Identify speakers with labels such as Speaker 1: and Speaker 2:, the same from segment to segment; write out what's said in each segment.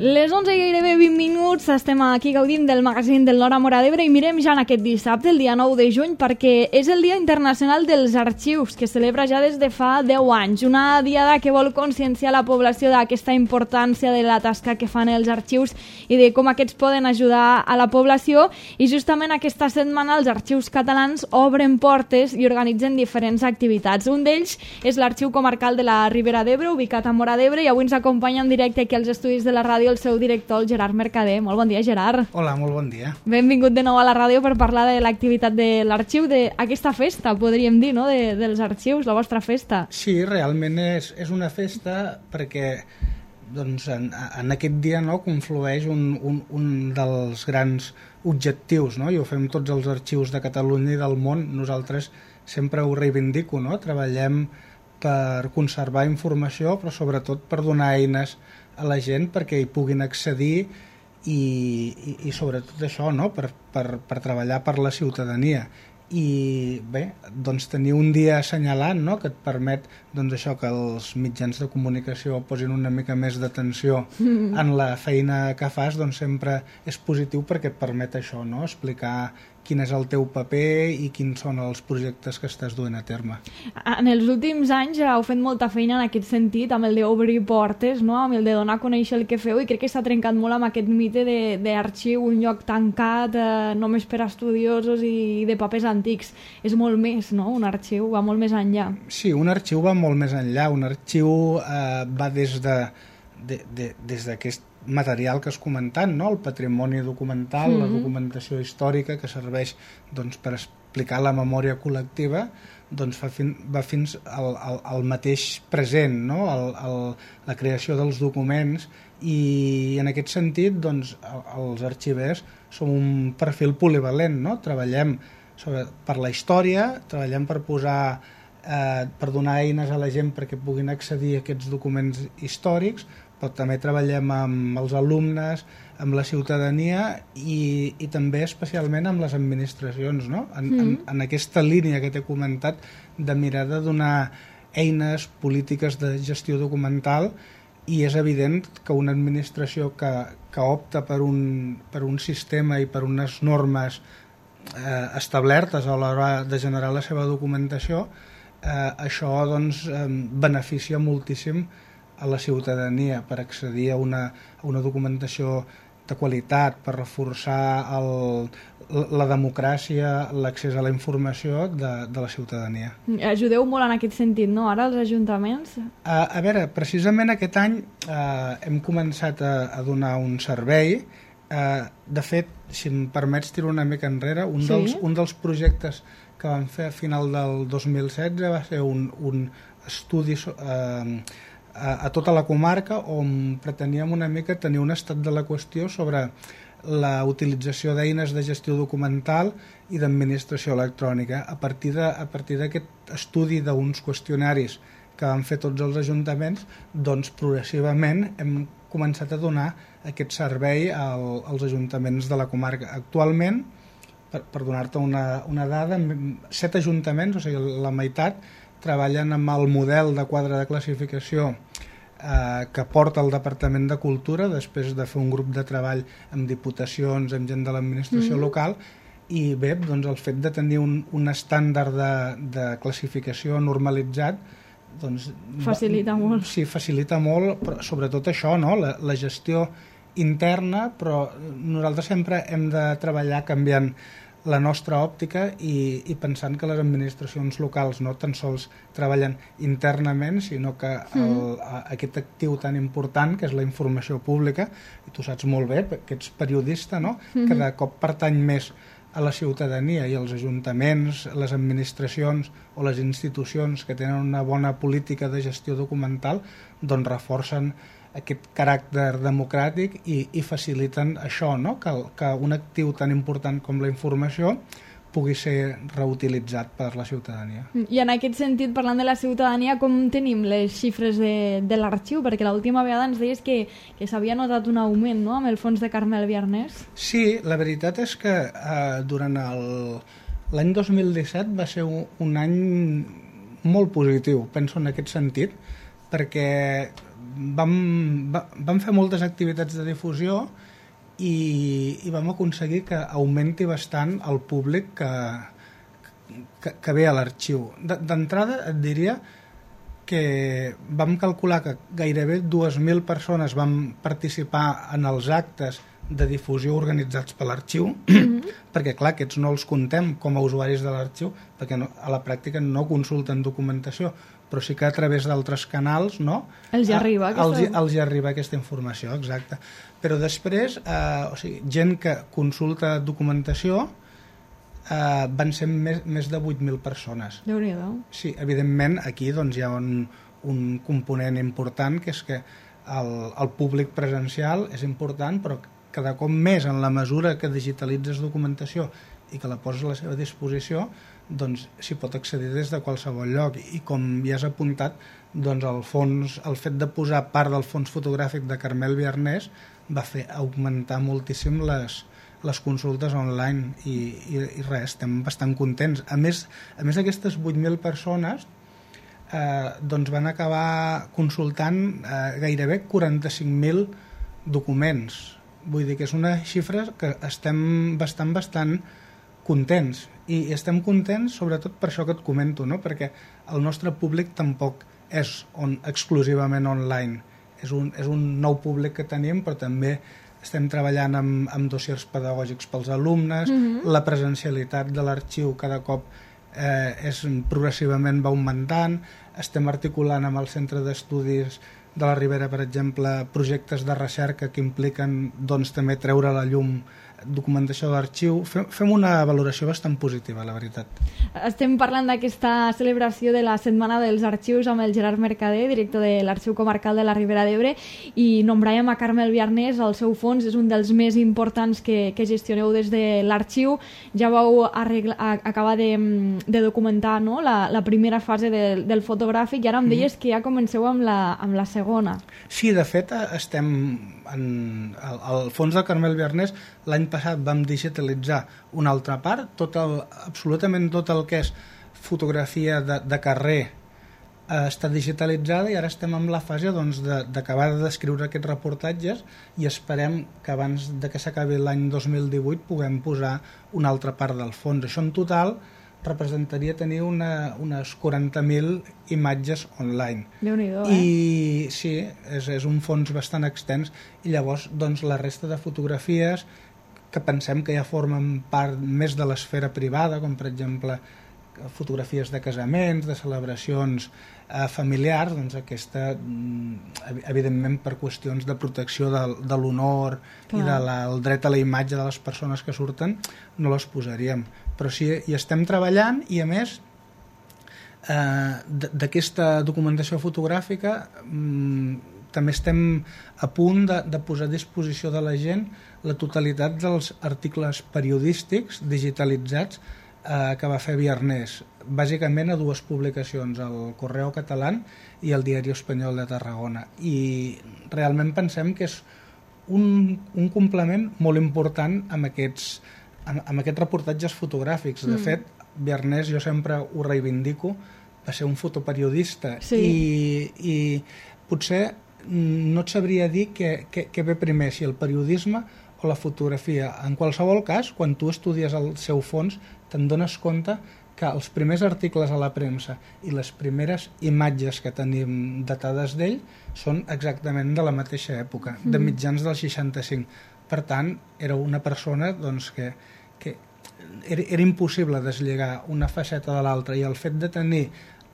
Speaker 1: Les 11 i gairebé 20 minuts, estem aquí gaudint del magazín del Nord a Móra d'Ebre i mirem ja en aquest dissabte, el dia 9 de juny, perquè és el Dia Internacional dels Arxius, que es celebra ja des de fa 10 anys. Una diada que vol conscienciar la població d'aquesta importància de la tasca que fan els arxius i de com aquests poden ajudar a la població. I justament aquesta setmana els arxius catalans obren portes i organitzen diferents activitats. Un d'ells és l'Arxiu Comarcal de la Ribera d'Ebre, ubicat a Móra d'Ebre, i avui ens acompanya en directe aquí als estudis de la ràdio el seu director, el Gerard Mercader. Molt bon dia, Gerard.
Speaker 2: Hola, molt bon dia.
Speaker 1: Benvingut de nou a la ràdio per parlar de l'activitat de l'arxiu, d'aquesta festa, podríem dir, no?, dels arxius, la vostra festa.
Speaker 2: Sí, realment és una festa perquè doncs, en aquest dia, no, conflueix un dels grans objectius, no? I ho fem tots els arxius de Catalunya i del món. Nosaltres sempre ho reivindico, no? Treballem per conservar informació, però sobretot per donar eines a la gent perquè hi puguin accedir i sobretot això, no? per treballar per la ciutadania. I bé, doncs tenir un dia assenyalant, no? Que et permet doncs això, que els mitjans de comunicació posin una mica més d'atenció en la feina que fas, doncs sempre és positiu perquè et permet això, no? Explicar quin és el teu paper i quins són els projectes que estàs duent a terme.
Speaker 1: En els últims anys heu fet molta feina en aquest sentit, amb el d'obrir portes, no? Amb el de donar a conèixer el que feu, i crec que s'ha trencat molt amb aquest mite d'arxiu, un lloc tancat només per a estudiosos i de papers antics. És molt més, no? Un arxiu va molt més enllà.
Speaker 2: Sí, un arxiu va molt més enllà. Un arxiu va des d'aquest material que has comentat, no? El patrimoni documental, la documentació històrica que serveix doncs, per explicar la memòria col·lectiva, doncs, va fins al mateix present, no? La creació dels documents, i en aquest sentit doncs, els arxivers som un perfil polivalent, no? Treballem per la història, treballem per per donar eines a la gent perquè puguin accedir a aquests documents històrics, però també treballem amb els alumnes, amb la ciutadania i també especialment amb les administracions, no? En aquesta línia que t'he comentat de mirar de donar eines polítiques de gestió documental. I és evident que una administració que opta per un sistema i per unes normes establertes a l'hora de generar la seva documentació, això doncs, beneficia moltíssim a la ciutadania per accedir a una documentació de qualitat, per reforçar la democràcia, l'accés a la informació de la ciutadania.
Speaker 1: Ajudeu molt en aquest sentit, no?, ara els ajuntaments?
Speaker 2: A veure, precisament aquest any hem començat a donar un servei. De fet, si em permets tirar una mica enrere, un dels projectes que vam fer a final del 2016 va ser un estudi a tota la comarca on preteníem una mica tenir un estat de la qüestió sobre la utilització d'eines de gestió documental i d'administració electrònica. A partir d'aquest estudi d'uns qüestionaris que van fer tots els ajuntaments, doncs progressivament hem començat a donar aquest servei als ajuntaments de la comarca. Actualment, per donar-te una dada, 7 ajuntaments, o sigui, la meitat, treballen amb el model de quadre de classificació que porta el Departament de Cultura després de fer un grup de treball amb diputacions, amb gent de l'administració local, i bé, doncs el fet de tenir un estàndard de classificació normalitzat doncs,
Speaker 1: facilita molt.
Speaker 2: Sí, facilita molt, però sobretot això, no? La gestió interna, però nosaltres sempre hem de treballar canviant la nostra òptica i pensant que les administracions locals no tan sols treballen internament, sinó que aquest actiu tan important que és la informació pública, i tu saps molt bé, que ets periodista, no? Cada cop pertany més a la ciutadania, i els ajuntaments, les administracions o les institucions que tenen una bona política de gestió documental doncs reforcen aquest caràcter democràtic i faciliten això, no? Que un actiu tan important com la informació pugui ser reutilitzat per la ciutadania.
Speaker 1: I en aquest sentit, parlant de la ciutadania, com tenim les xifres de l'arxiu? Perquè l'última vegada ens deies que s'havia notat un augment, no?, amb el fons de Carmel Biarnés.
Speaker 2: Sí, la veritat és que durant l'any 2017 va ser un any molt positiu, penso en aquest sentit, perquè vam fer moltes activitats de difusió i vam aconseguir que augmenti bastant el públic que ve a l'arxiu. D'entrada et diria que vam calcular que gairebé 2.000 persones van participar en els actes de difusió organitzats per l'arxiu, perquè clar, aquests no els contem com a usuaris de l'arxiu, perquè a la pràctica no consulten documentació, però sí que a través d'altres canals, no?
Speaker 1: Els arriba
Speaker 2: aquesta informació, exacte. Però després, gent que consulta documentació van ser més de 8.000 persones.
Speaker 1: Déu-n'hi-do.
Speaker 2: Sí, evidentment aquí doncs, hi ha un component important, que és que el públic presencial és important, però cada cop més en la mesura que digitalitzes documentació i que la poses a la seva disposició, doncs s'hi pot accedir des de qualsevol lloc. I com ja has apuntat, doncs el fet de posar part del fons fotogràfic de Carmel Biarnés va fer augmentar moltíssim les consultes online i res, estem bastant contents. A més aquestes 8.000 persones doncs van acabar consultant gairebé 45.000 documents. Vull dir que és una xifra que estem bastant contents, i estem contents sobretot per això que et comento, no? Perquè el nostre públic tampoc és exclusivament online, és un nou públic que tenim, però també estem treballant amb dossiers pedagògics pels alumnes, la presencialitat de l'arxiu cada cop progressivament va augmentant, estem articulant amb el Centre d'Estudis de la Ribera, per exemple, projectes de recerca que impliquen doncs, també treure a la llum documentació de l'arxiu. Fem una valoració bastant positiva, la veritat.
Speaker 1: Estem parlant d'aquesta celebració de la Setmana dels Arxius amb el Gerard Mercader, director de l'Arxiu Comarcal de la Ribera d'Ebre, i nombràvem a Carmel Biarnés. El seu fons és un dels més importants que gestioneu des de l'arxiu. Ja vau acabar de documentar, no?, la primera fase del fotogràfic, i ara em deies que ja comenceu amb la segona.
Speaker 2: Sí, de fet, estem al fons de Carmel Biarnés. L'any passat vam digitalitzar una altra part, absolutament tot el que és fotografia de carrer està digitalitzada, i ara estem en la fase d'acabar de descriure aquests reportatges, i esperem que abans que s'acabi l'any 2018 puguem posar una altra part del fons. Això en total representaria tenir unes 40.000 imatges online.
Speaker 1: Déu-n'hi-do,
Speaker 2: I sí, és un fons bastant extens, i llavors doncs, la resta de fotografies que pensem que ja formen part més de l'esfera privada, com per exemple fotografies de casaments, de celebracions familiars, doncs aquesta, evidentment per qüestions de protecció de l'honor i del dret a la imatge de les persones que surten, no les posaríem. Però sí, hi estem treballant, i a més d'aquesta documentació fotogràfica també estem a punt de posar a disposició de la gent la totalitat dels articles periodístics digitalitzats que va fer Biarnés, bàsicament a dues publicacions, el Correo Català i el Diari Espanyol de Tarragona. I realment pensem que és un complement molt important amb aquests reportatges fotogràfics. De fet, Biarnés, jo sempre ho reivindico, va ser un fotoperiodista, i potser no et sabria dir què ve primer, si el periodisme o la fotografia. En qualsevol cas, quan tu estudies el seu fons, te'n dones compte que els primers articles a la premsa i les primeres imatges que tenim datades d'ell són exactament de la mateixa època, de mitjans del 65. Per tant, era una persona doncs, que era impossible deslligar una faceta de l'altra, i el fet de tenir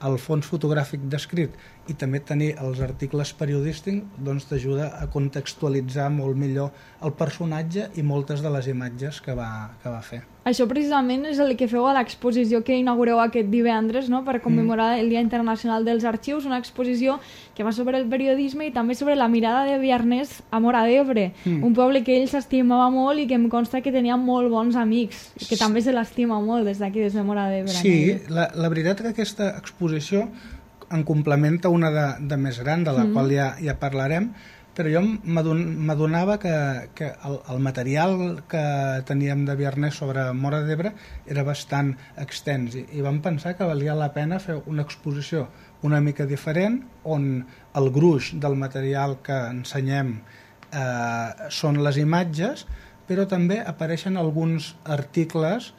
Speaker 2: el fons fotogràfic descrit i també tenir els articles periodístics doncs t'ajuda a contextualitzar molt millor el personatge i moltes de les imatges que va fer.
Speaker 1: Això precisament és el que feu a l'exposició que inaugureu aquest divendres, no?, per commemorar el Dia Internacional dels Arxius, una exposició que va sobre el periodisme i també sobre la mirada de Biarnés a Móra d'Ebre, un poble que ell s'estimava molt i que em consta que tenia molt bons amics, i que també se l'estima molt des d'aquí, des de Móra d'Ebre.
Speaker 2: Sí, la veritat que aquesta exposició en complementa una de més gran, de la qual ja parlarem, però jo m'adonava que el material que teníem de Biarnés sobre Móra d'Ebre era bastant extens, i vam pensar que valia la pena fer una exposició una mica diferent, on el gruix del material que ensenyem són les imatges, però també apareixen alguns articles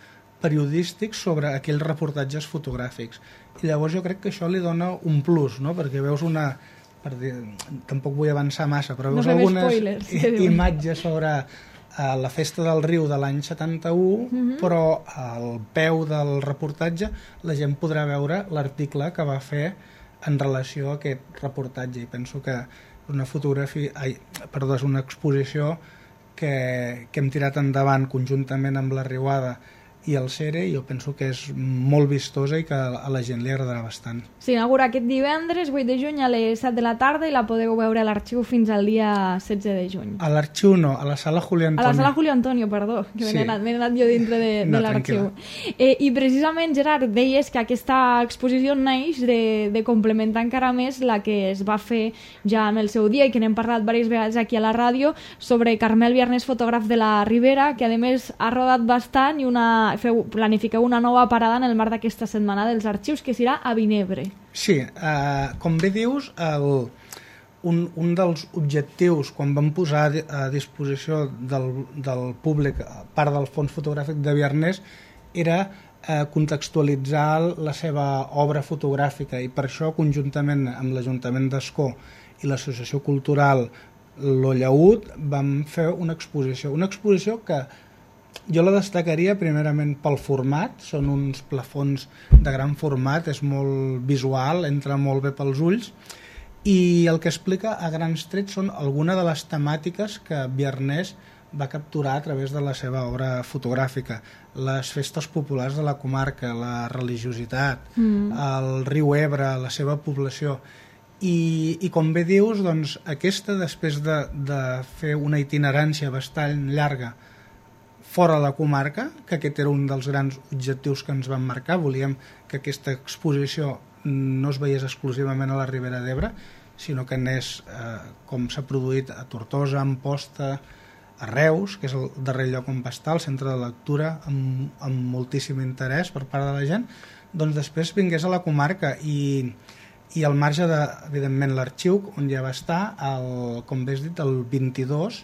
Speaker 2: periodístics sobre aquells reportatges fotogràfics. I llavors jo crec que això li dona un plus, no? Perquè veus tampoc vull avançar massa, però veus algunes imatges sobre la festa del riu de l'any 71, però al peu del reportatge la gent podrà veure l'article que va fer en relació a aquest reportatge, i penso que és una exposició que hem tirat endavant conjuntament amb la Riuada i el Cere, i jo penso que és molt vistosa i que a la gent li agradarà bastant.
Speaker 1: S'inaugura aquest divendres 8 de juny a les 7 de la tarda i la podeu veure a l'Arxiu fins al dia 16 de juny.
Speaker 2: A l'Arxiu no, a la Sala Julio Antonio.
Speaker 1: A la Sala Julio Antonio, perdó, que m'he anat jo dintre de l'Arxiu. I precisament, Gerard, deies que aquesta exposició neix de complementar encara més la que es va fer ja en el seu dia i que n'hem parlat diverses vegades aquí a la ràdio sobre Carmel Biarnés, fotògraf de la Ribera, que a més ha rodat bastant i planifiqueu una nova parada en el marc d'aquesta setmana dels arxius, que serà a Vinebre.
Speaker 2: Sí, com bé dius, un dels objectius quan vam posar a disposició del públic part del fons fotogràfic de Biarnés era contextualitzar la seva obra fotogràfica, i per això, conjuntament amb l'Ajuntament d'Ascó i l'Associació Cultural Lo Llaüt, vam fer una exposició que jo la destacaria primerament pel format. Són uns plafons de gran format, és molt visual, entra molt bé pels ulls, i el que explica a grans trets són algunes de les temàtiques que Biarnés va capturar a través de la seva obra fotogràfica. Les festes populars de la comarca, la religiositat, el riu Ebre, la seva població. I com bé dius, doncs, aquesta, després de fer una itinerància bastant llarga fora de la comarca, que aquest era un dels grans objectius que ens vam marcar, volíem que aquesta exposició no es veiés exclusivament a la Ribera d'Ebre, sinó que anés, com s'ha produït a Tortosa, a Amposta, a Reus, que és el darrer lloc on va estar, el centre de lectura, amb moltíssim interès per part de la gent, doncs després vingués a la comarca i al marge de, evidentment, l'Arxiu, on ja va estar, com bé has dit, el 22,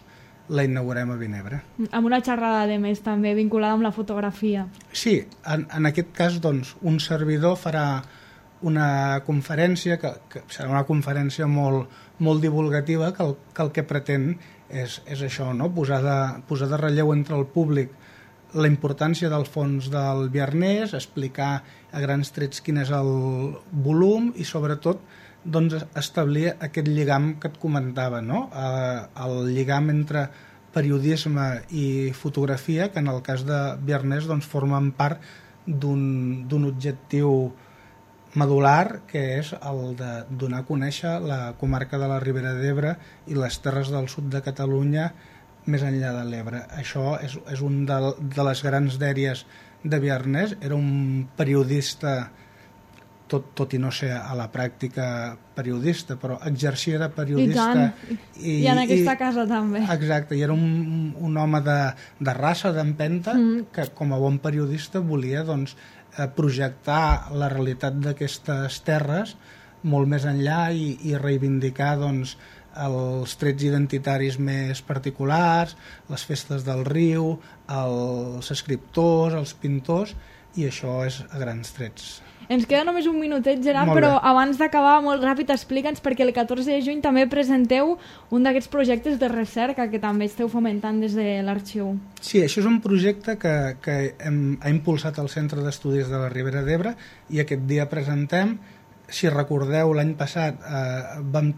Speaker 2: la inaugurem a Vinebre.
Speaker 1: Amb una xerrada, de més, també vinculada amb la fotografia.
Speaker 2: Sí, en aquest cas, doncs, un servidor farà una conferència, que serà una conferència molt divulgativa, que el que pretén és això, no? Posar de relleu entre el públic la importància del fons del Biarnés, explicar a grans trets quin és el volum i, sobretot, doncs, establir aquest lligam que et comentava, no? El lligam entre periodisme i fotografia, que en el cas de Biarnés doncs, formen part d'un objectiu medular, que és el de donar a conèixer la comarca de la Ribera d'Ebre i les terres del sud de Catalunya més enllà de l'Ebre. Això és un de les grans dèries de Biarnés. Era un periodista, tot i no ser a la pràctica periodista, però exercia de periodista.
Speaker 1: I en aquesta casa també.
Speaker 2: Exacte, i era un home de raça, d'empenta, que com a bon periodista volia, doncs, projectar la realitat d'aquestes terres molt més enllà i reivindicar, doncs, els trets identitaris més particulars, les festes del riu, els escriptors, els pintors, i això és a grans trets.
Speaker 1: Ens queda només un minutet, Gerard, però abans d'acabar, molt ràpid, explica'ns, perquè el 14 de juny també presenteu un d'aquests projectes de recerca que també esteu fomentant des de l'Arxiu.
Speaker 2: Sí, això és un projecte que ha impulsat el Centre d'Estudis de la Ribera d'Ebre, i aquest dia presentem. Si recordeu, l'any passat vam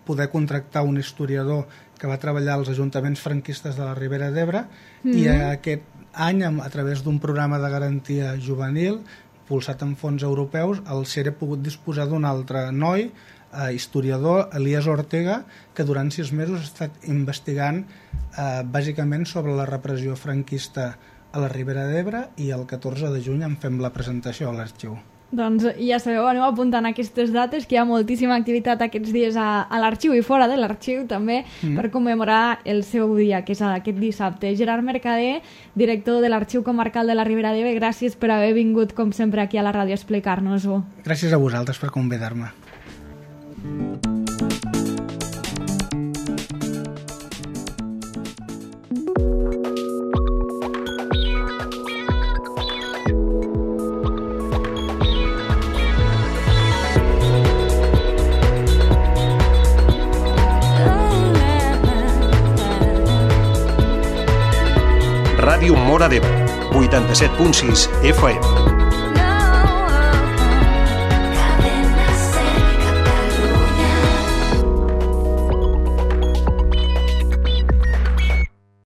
Speaker 2: poder contractar un historiador que va treballar als ajuntaments franquistes de la Ribera d'Ebre, i aquest any, a través d'un programa de garantia juvenil impulsat en fons europeus, el CERE ha pogut disposar d'un altre noi, historiador, Elias Ortega, que durant 6 mesos ha estat investigant bàsicament sobre la repressió franquista a la Ribera d'Ebre, i el 14 de juny en fem la presentació a l'Arxiu.
Speaker 1: Doncs ja sabeu, aneu apuntant aquestes dates, que hi ha moltíssima activitat aquests dies a l'Arxiu i fora de l'Arxiu també, per commemorar el seu dia, que és aquest dissabte. Gerard Mercader, director de l'Arxiu Comarcal de la Ribera d'Ebre, gràcies per haver vingut, com sempre, aquí a la ràdio a explicar-nos-ho.
Speaker 2: Gràcies a vosaltres per convidar-me.
Speaker 3: Ràdio Móra d'Ebre, 87.6 FM.